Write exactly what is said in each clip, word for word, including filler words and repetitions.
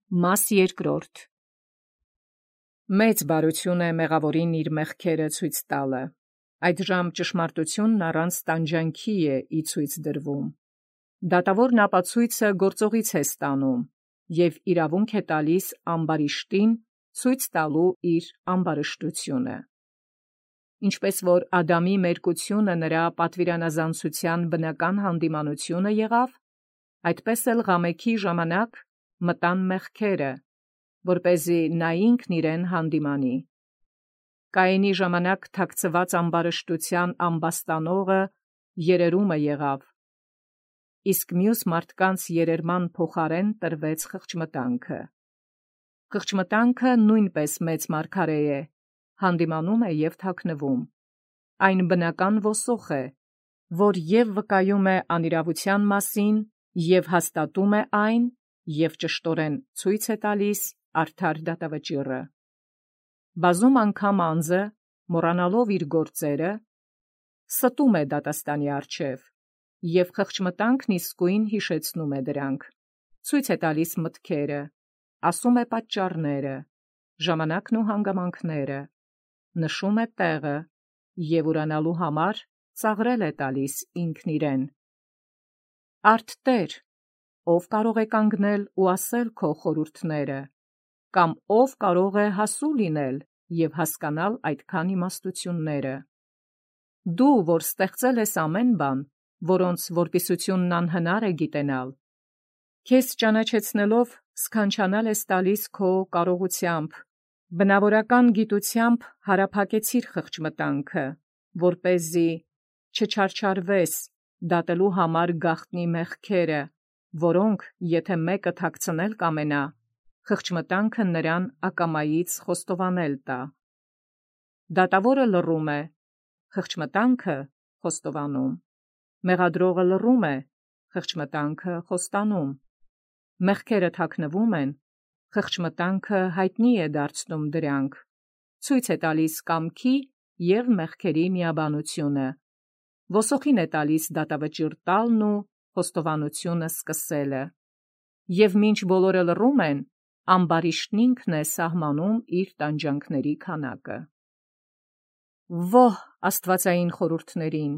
Մաս երկրորդ. Մեծ բարություն է մեղավորին իր մեղքերը ցույց տալը, այդժամ ճշմարտությունն առանց տանջանքի է ի ցույց դրվում։ Դատավորն ապացույցը գործողից է ստանում և իրավունք է տալիս ամբարիշտին ցույց տալու իր ամբարշտությունը։ Ինչպես որ Ադամի մերկությունը նրա պատվիրանազանցության բնական հանդիմանությունը եղավ, այդպես էլ Ղամեքի ժամանակ մտան մեղքերը, որպեսզի նա ինքն իրեն հանդիմանի։ Կայենի ժամանակ թաքցված ամբարշտության ամբաստանողը երերումը եղավ, իսկ մյուս մարդկանց երերման փոխարեն տրվեց խղճմտանքը։ Խղճմտանքը նույնպես մեծ մարգարե է, հանդիմանում է և թաքնվում։ Այն բնական ոսող է, որ և վկայում է անիրավության մասին, և հաստատում է այն, և ճշտորեն ցույց է տալիս արդար դատավճիռը։ Բազում անգամ անձը, մոռանալով իր գործերը, ստում է դատաստանի առջև, և խղճմտանքն իսկույն հիշեցնում է դրանք, ցույց է տալիս մտքերը, ասում է պատճառները, ժամանակն ու հանգամանքները, նշում է տեղը և ուրանալու համար ծաղրել է տալիս ինքն իրեն։ Արդ Տեր, ով կարող է կանգնել ու ասել քո խորհուրդները, կամ ով կարող է հասու լինել և հասկանալ այդքան իմաստությունները։ Դու, որ ստեղծել ես ամեն բան, որոնց որպիսությունն անհնար է գիտենալ, քեզ ճանաչեցնելով սքանչանալ ես տալիս քո կարողությամբ, բնավորական գիտությամբ հարափակեցիր խղճմտանքը, որպեսզի չչարչարվես դատելու համար գաղտնի մեղքերը, որոնք, եթե մեկը թաքցնել կամենա, խղճմտանքը նրան ակամայից խոստովանել տա։ Դատավորը լռում է, խղճմտանքը խոստովանում, մեղադրողը լռում է, խղճմտանքը խոստանում, մեղքերը թաքնվում են, խղճմտանքը հայտնի է դարձնում դրանք, ցույց է տալիս կամքի և մեղքերի միաբանությունը, ոսոխին է տալիս դատավճիռ տալն ու խոստովանությունը սկսելը, և մինչ բոլորը լռում են, ամբարիշտն ինքն է սահմանում իր տանջանքների քանակը։ Ո՛հ աստվածային խորհուրդներին,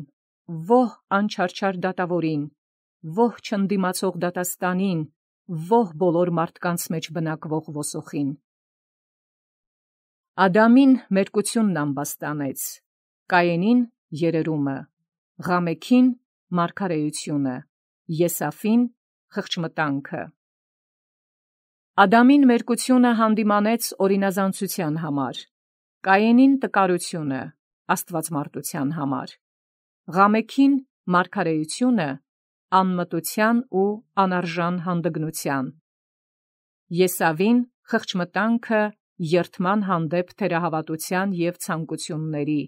ո՛հ անչարչար դատավորին, ո՛հ չընդդիմացող դատաստանին, ո՛հ բոլոր մարդկանց մեջ բնակվող ոսոխին։ Ադամին մերկությունն ամբաստանեց, Կայենին երերումը, Ղամեքին մարգարեությունը, Եսավին խղճմտանքը։ Ադամին մերկությունը հանդիմանեց օրինազանցության համար, Կայենին տկարությունը, աստվածմարտության համար, Ղամեքին մարգարեությունը, անմտության ու անարժան հանդգնության, Եսավին խղճմտանքը երդման հանդեպ թերահավատության և ցանկությունների,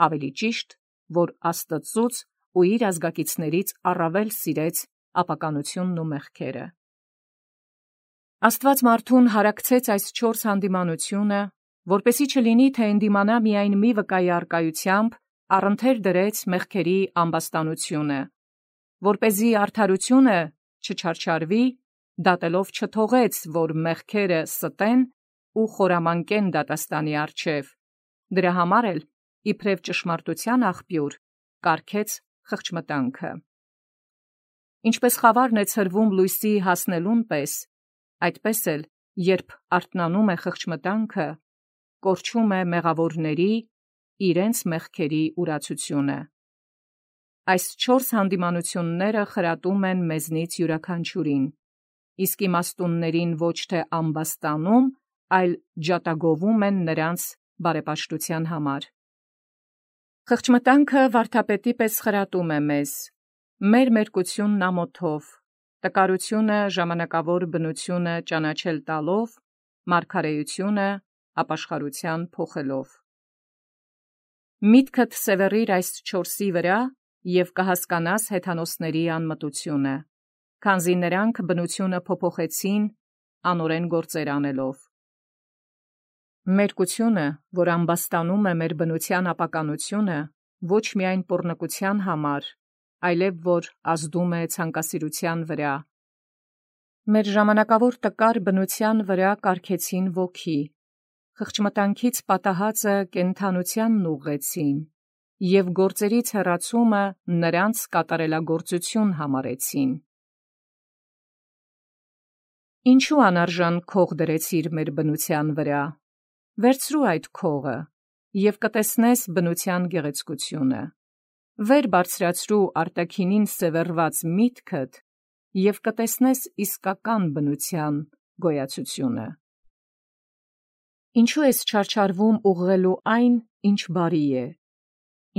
ավելի ճիշտ, որ Աստծուց ու իր ազգակիցներից առավել սիրեց ապականությունն ու մեղքերը։ Աստված մարդուն հարակցեց այս չորս հանդիմանությունը, որպեսզի չլինի, թե ընդդիմանա միայն մի վկայի առկայությամբ, առընթեր դրեց մեղքերի ամբաստանությունը, որպեսզի արդարությունը չչարչարվի, դատելով չթողեց, որ մեղքերը ստեն ու խորամանկեն դատաստանի առջև, դրա համար էլ, իբրև ճշմարտության աղբյուր, կարգեց խղճմտանքը։ Ինչպես խավարն է ցրվում լույսի հասնելուն պես, այդպես էլ, երբ արթնանում է խղճմտանքը, կորչում է մեղավորների իրենց մեղքերի ուրացությունը։ Այս չորս հանդիմանությունները խրատում են մեզնից յուրաքանչյուրին, իսկ իմաստուններին ոչ թե ամբաստանում, այլ ջատագովում են նրանց բարեպաշտության համար։ Խղճմտանքը վարդապետի պես խրատում է մեզ, մեր մերկությունն ամոթով, տկարությունը ժամանակավոր բնությունը ճանաչել տալով, մարգարեությունը ապաշխարության փոխելով։ Միտքդ սևեռիր այս չորսի վրա և կհասկանաս հեթանոսների անմտությունը, քանզի նրանք բնությունը փոփոխեցին անօրեն գործեր անելով։ Մերկությունը, որ ամբաստանում է մեր բնության ապականությունը, ոչ միայն պոռնկության համար, այլև որ ազդում է ցանկասիրության վրա, Մեր ժամանակավոր տկար բնության վրա կարգեցին ոգի, խղճմտանքից պատահածը կենդանությանն ուղղեցին, և գործերից հեռացումը նրանց կատարելագործություն համարեցին։ Ինչու անարժան քող դրեցիր մեր բնության վրա, վերցրու այդ քողը, և կտեսնես բնության գեղեցկությունը, վեր բարձրացրու արտաքինին սևեռված միտքդ, և կտեսնես իսկական բնության գոյացությունը։ Ինչու ես չարչարվում ուղղելու այն, ինչ բարի է,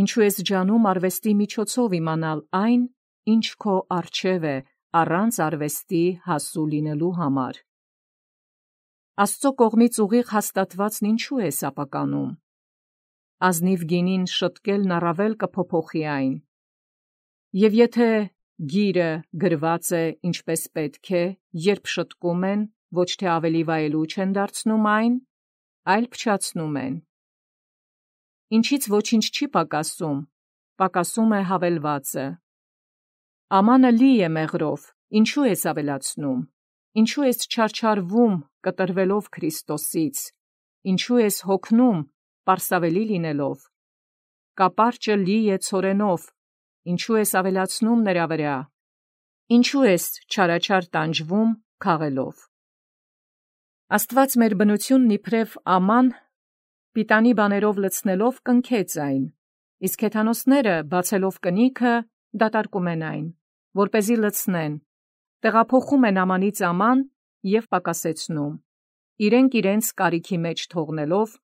ինչու ես ջանում արվեստի միջոցով իմանալ այն, ինչ քո առջև է, առանց արվեստի հասու լինելու համար։ Աստծո կողմից ուղիղ հաստատվածն ինչու ես ապականում։ Ազնիվ գինին շտկելն առավել կփոփոխի այն։ Եվ եթե գիրը գրված է ինչպես պետք է, երբ շտկում են, ոչ թե ավելի վայելուչ չեն դարձնում այն, այլ փչացնում են։ Ինչից ոչինչ չի պակասում, պակասում է հավելվածը։ Ամանը լի է մեղրով, ինչու ես ավելացնում, ինչու ես չարչարվում կտրվելով Քրիստոսից, ինչու ես հոգնում պարսավելի լինելով, կապարճը լի է ցորենով, ինչու ես ավելացնում նրա վրա, ինչու ես չարաչար տանջվում քաղելով։ Աստված մեր բնությունն իբրև աման պիտանի բաներով լցնելով կնքեց այն, իսկ հեթանոսները բացելով կնիքը դատարկում են այն, որպեսզի լցնեն, տեղափոխում են ամանից աման և պակասեցնում, իրենք իրենց կարիքի մեջ թողնելով,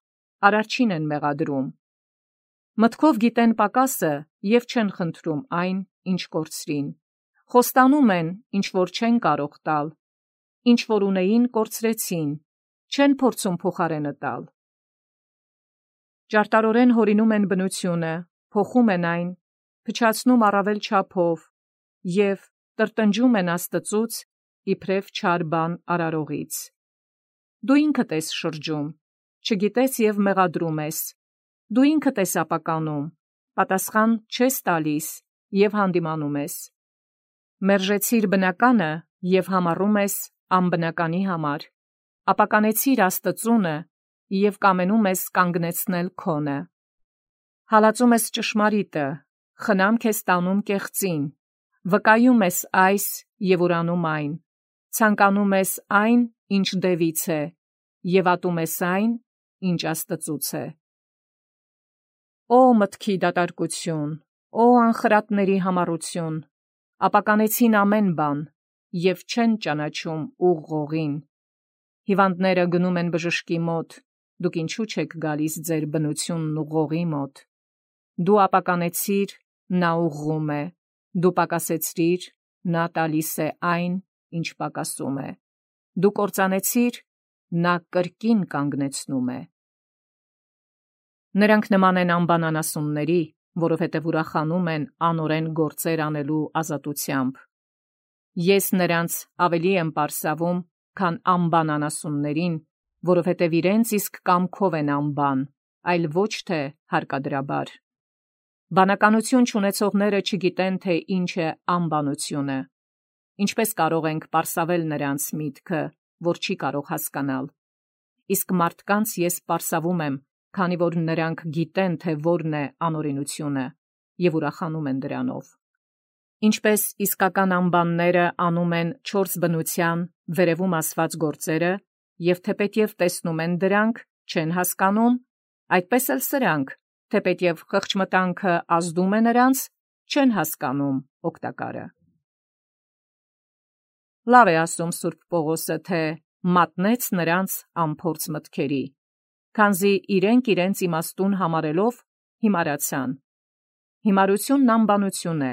արարչին են մեղադրում։ Մտքով գիտեն պակասը և չեն խնդրում այն, ինչ կորցրին, խոստանում են, ինչ որ չեն կարող տալ, ինչ որ ունեին կորցրեցին, չեն փորձում փոխարենը տալ։ Ճարտարորեն հորինում են բնությունը, փոխում են այն, փչացնում առավել չափով և տրտնջում են Աստծուց իբրև չար բան արարողից։ Դու ինքդ ես շրջում, չգիտես և մեղադրում ես, դու ինքդ ես ապականում, պատասխան չես տալիս և հանդիմանում ես։ Մերժեցիր բնականը և համառում ես անբնականի համար, ապականեցիր Աստծունը և կամենում ես կանգնեցնել քոնը։ Հալածում ես ճշմարիտը, խնամք ես տանում կեղծին, վկայում ես այս և ուրանում այն, ցանկանում ես այն, ինչ դևից է, և ատում ես այն, ինչ Աստծուց է։ Օ մտքի դատարկություն, օ անխրատների համառություն, ապականեցին ամեն բան և չեն ճանաչում ուղղողին։ Հիվանդները գնում են բժշկի մոտ, դուք ինչու չեք գալիս ձեր բնությունն ուղղողի մոտ։ Դու ապականեցիր, նա ուղղում է, դու պակասեցրիր, նա տալիս է այն, ինչ պակասում է, դու կործանեցիր, նա կրկին կանգնեցնում է։ Նրանք նման են անբանանասունների, որովհետև ուրախանում են անօրեն գործեր անելու ազատությամբ։ Ես նրանց ավելի եմ պարսավում, քան անբանանասուններին, որովհետև իրենց իսկ կամքով են անբան, այլ ոչ թե հարկադրաբար։ Բանականություն չունեցողները չգիտեն, թե ինչ է անբանությունը։ Ինչպես կարող ենք պարսավել նրանց միտքը, որ չի կարող հասկանալ։ Իսկ մարդկանց ես պարսավում եմ, քանի որ նրանք գիտեն, թե որն է անօրենությունը, և ուրախանում են դրանով։ Ինչպես իսկական անբանները անում են չորս բնության վերևում ասված գործերը, և թեպետև տեսնում են դրանք, չեն հասկանում, այդպես էլ սրանք, թեպետև խղճմտանքը ազդում է նրանց, չեն հասկանում օգտակարը։ Լավ է ասում Սուրբ Պողոսը, թե մատնեց նրանց անփորձ մտքերի, քանզի իրենք իրենց իմաստուն համարելով հիմարացան։ Հիմարությունն անբանություն է,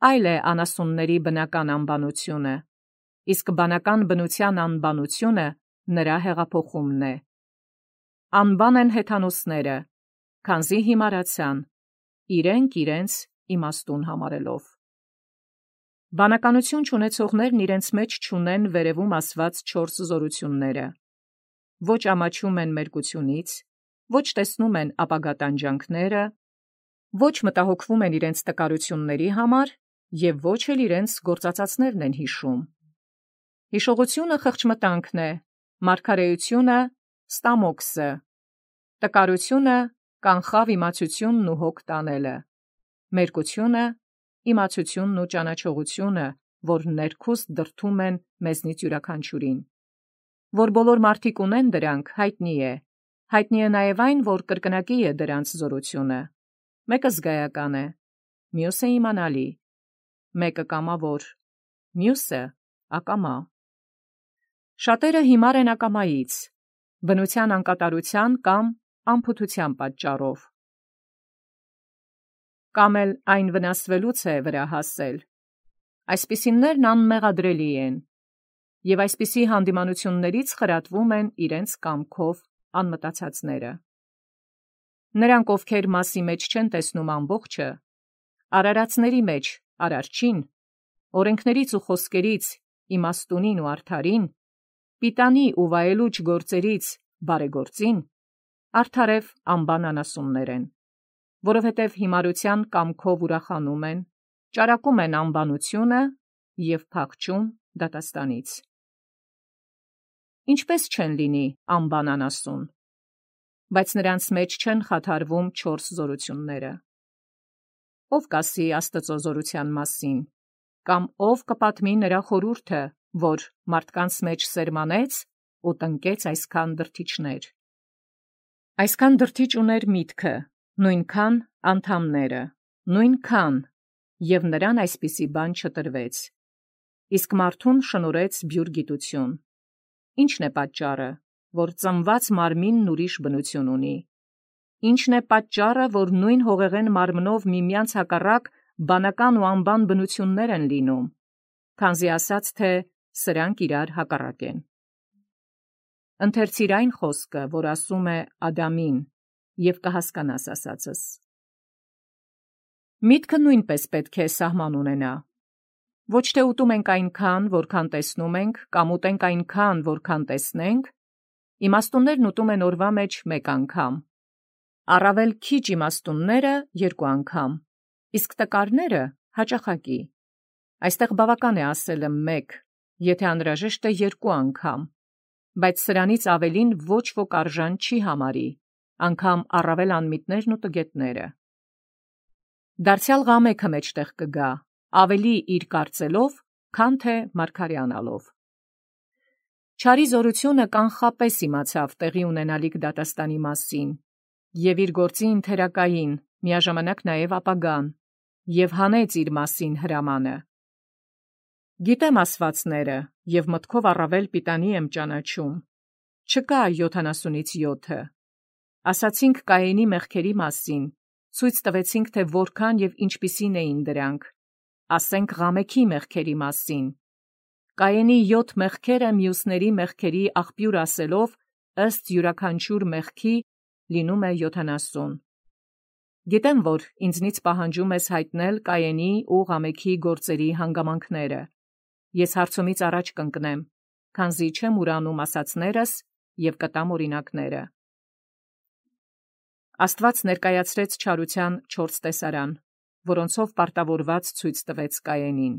այլ է անասունների բնական անբանությունը, իսկ բանական բնության անբանությունը նրա հեղափոխումն է։ Անբան են հեթանոսները, քանզի հիմարացան, իրենք իրենց իմաստուն համարելով։ Բանականություն չունեցողներն իրենց մեջ չունեն վերևում ասված չորս զորությունները։ Ոչ ամաչում են մերկությունից, ոչ տեսնում են ապագա տանջանքները, ոչ մտահոգվում են իրենց տկարությունների համար և ոչ էլ իրենց գործածածներն են հիշում։ Հիշողությունը խղճմտանքն է, մարգարեությունը ստամոքսը, տկարությունը կանխավ իմացությունն ու հոգ տանելը, մերկությունը իմացությունն ու ճանաչողությունը, որ ներքուստ դրդում են մեզնից յուրաքանչյուրին, որ բոլոր մարդիկ ունեն դրանք, հայտնի է, հայտնի է նաև այն, որ կրկնակի է դրանց զորությունը, մեկը զգայական է, մյուսը իմանալի, մեկը կամավոր, մյուսը ակամա։ Շատերը հիմար են ակամայից, բնության անկատարության կամ անփութության պատճառով, կամ էլ այն վնասվելուց է վրա հասել։ Այսպիսիներն անմեղադրելի են, և այսպիսի հանդիմանություններից խրատվում են իրենց կամքով անմտածածները։ Նրանք, ովքեր մասի մեջ չեն տեսնում ամբողջը, արարածների մեջ արարչին, օրենքներից ու խոսքերից իմաստունին ու արդարին, պիտանի ու վայելուչ գործերից բարեգործին, արդարև անբան անասուններ են, որովհետև հիմարության կամքով ուրախանում են, ճարակում են անբանությունը և փախչում դատաստանից։ Ինչպես չեն լինի անբան անասուն, բայց նրանց մեջ չեն խաթարվում չորս զորությունները։ Ով կասի Աստծո զորության մասին, կամ ով կպատմի նրա խորհուրդը, որ մարդկանց մեջ սերմանեց ու տնկեց այսքան դրդիչներ։ Այսքան դրդիչ ուներ միտքը, նույնքան անդամները, նույնքան, և նրան այսպիսի բան չտրվեց, իսկ մարդուն շնորհեց բյուր գիտություն։ Ի՞նչն է պատճառը, որ ծնված մարմինն ուրիշ բնություն ունի։ Ի՞նչն է պատճառը, որ նույն հողեղեն մարմնով միմյանց հակառակ բանական ու անբան բնություններ են լինում, քանզի ասաց, թե սրանք իրար հակառակ են։ Ընթերցիր այն խոսքը, որ ասում է Ադամին, և կհասկանաս ասածս։ Միտքը նույնպես պետք է սահման ունենա։ Ոչ թե ուտում ենք այնքան, որքան տեսնում ենք, կամ ուտենք այնքան, որքան տեսնենք, իմաստուններն ուտում են օրվա մեջ մեկ անգամ, առավել քիչ իմաստունները երկու անգամ, իսկ տկարները հաճախակի։ Այստեղ բավական է ասելը մեկ, եթե անհրաժեշտ է երկու անգամ, բայց սրանից ավելին ոչ ոք արժան չի համարի, անգամ առավել անմիտներն ու տգետները։ Դարձյալ ղամեքը մեջտեղ կգա, ավելի իր կարծելով, քան թե մարգարեանալով։ Չարի զորությունը կանխապես իմացավ տեղի ունենալիք դատաստանի մասին, և իր գործի ընթերակային, միաժամանակ նաև ապագան, և հանեց իր մասին հրամանը։ Գիտեմ ասվածները, և մտքով առավել պիտանի եմ ճանաչում։ Չկա յոթանասունից յոթը։ Ասացինք Կայենի մեղքերի մասին, ցույց տվեցինք, թե որքան և ինչպիսին էին դրանք, ասենք Ղամեքի մեղքերի մասին։ Կայենի յոթ մեղքերը մյուսների մեղքերի աղբյուր ասելով, ըստ յուրաքանչյուր մեղքի լինում է յոթանասուն։ Գիտեմ, որ ինձնից պահանջում ես հայտնել Կայենի ու Ղամեքի գործերի հանգամանքները։ Ես հարցումից առաջ կընկնեմ, քանզի չեմ ուրանում ասածներս և կտամ օրինակները։ Աստված ներկայացրեց չարության չորս տեսարան, որոնցով պարտավորված ցույց տվեց Կայենին։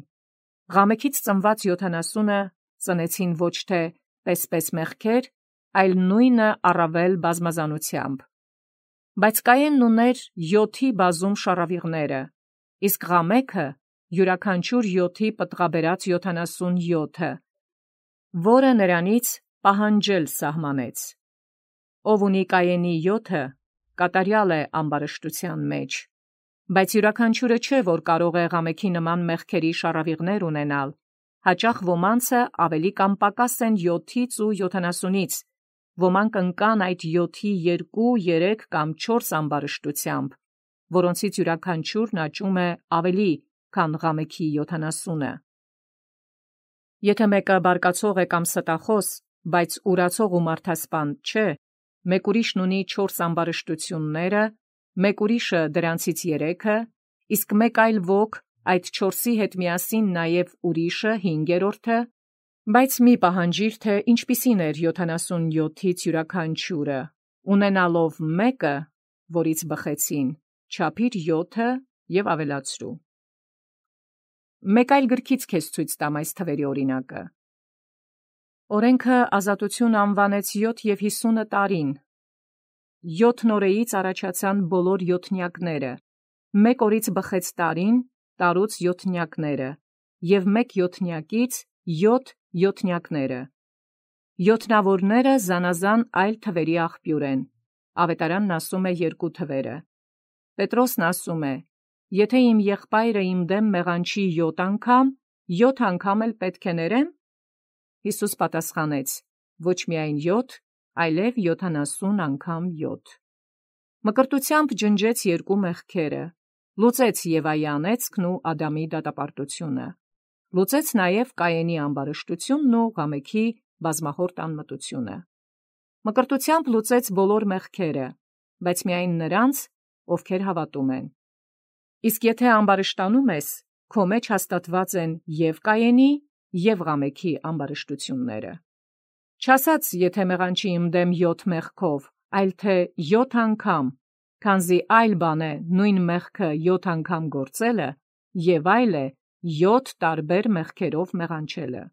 Ղամեքից ծնված յոթանասունը ծնեցին ոչ թե պես-պես մեղքեր, այլ նույնը առավել բազմազանությամբ։ Բայց Կայենն ուներ յոթի բազում շառավիղները, իսկ Ղամեքը յուրաքանչյուր յոթի պտղաբերած յոթանասուն յոթը, որը նրանից պահանջել սահմանեց։ Ով ունի Կայենի յոթը, կատարյալ է ամբարշտության մեջ, բայց յուրաքանչյուրը չէ, որ կարող է Ղամեքի նման մեղքերի շառավիղներ ունենալ, հաճախ ոմանցը ավելի կամ պակաս են յոթից ու յոթանասունից, ոմանք ընկան այդ յոթի երկու, երեք կամ չորս ամբարշտությամբ, որոնցից յուրաքանչյուրն աճում է ավելի, քան Ղամեքի յոթանասունը։ Եթե մեկը բարկացող է կամ ստախոս, բայց ուրացող ու մարդասպան չէ, մեկ ուրիշն ունի չորս ամբարշտությունները, մեկ ուրիշը դրանցից երեքը, իսկ մեկ այլ ոք այդ չորսի հետ միասին նաև ուրիշը հինգերորդը, բայց մի պահանջիր, թե ինչպիսին էր յոթանասուն յոթից յուրաքանչյուրը, ունենալով մեկը, որից բխեցին, չափիր յոթը և ավելացրու։ Մեկ այլ գրքից քեզ ցույց տամ այս թվերի օրինակը։ Օրենքը ազատություն անվանեց յոթ և հիսունը տարին։ Յոթ նորեից առաջացան բոլոր յոթնյակները, մեկ օրից բխեց տարին, տարուց յոթնյակները, և մեկ յոթնյակից յոթ յոթնյակները։ Յոթնավորները զանազան այլ թվերի աղբյուր են, Ավետարանն ասում է երկու թվերը։ Պետրոսն ասում է. «Եթե իմ եղբայրը իմ դեմ մեղանչի յոթ անգամ, յոթ անգամ էլ պետք է ներեմ»։ Հիսուս պատասխանեց. «Ոչ միայն յոթ, այլև յոթանասուն անգամ յոթ»։ Մկրտությամբ ջնջեց երկու մեղքերը, լուծեց Եվայի անեծքն ու Ադամի դատապարտությունը, լուծեց նաև Կայենի ամբարշտությունն ու Ղամեքի բազմախորտ անմտությունը։ Մկրտությամբ լուծեց բոլոր մեղքերը, բայց միայն նրանց, ովքեր հավատում են։ Իսկ եթե ամբարշտանում ես, քո մեջ հաստատված են և Կայենի, և Ղամեքի ամբարշտությունները։ Չասած, եթե մեղանչի իմ դեմ յոթ մեղքով, այլ թե յոթ անգամ, քանզի այլ բան է նույն մեղքը յոթ անգամ գործելը, և այլ է յոթ տարբեր մեղքերով մեղանչելը։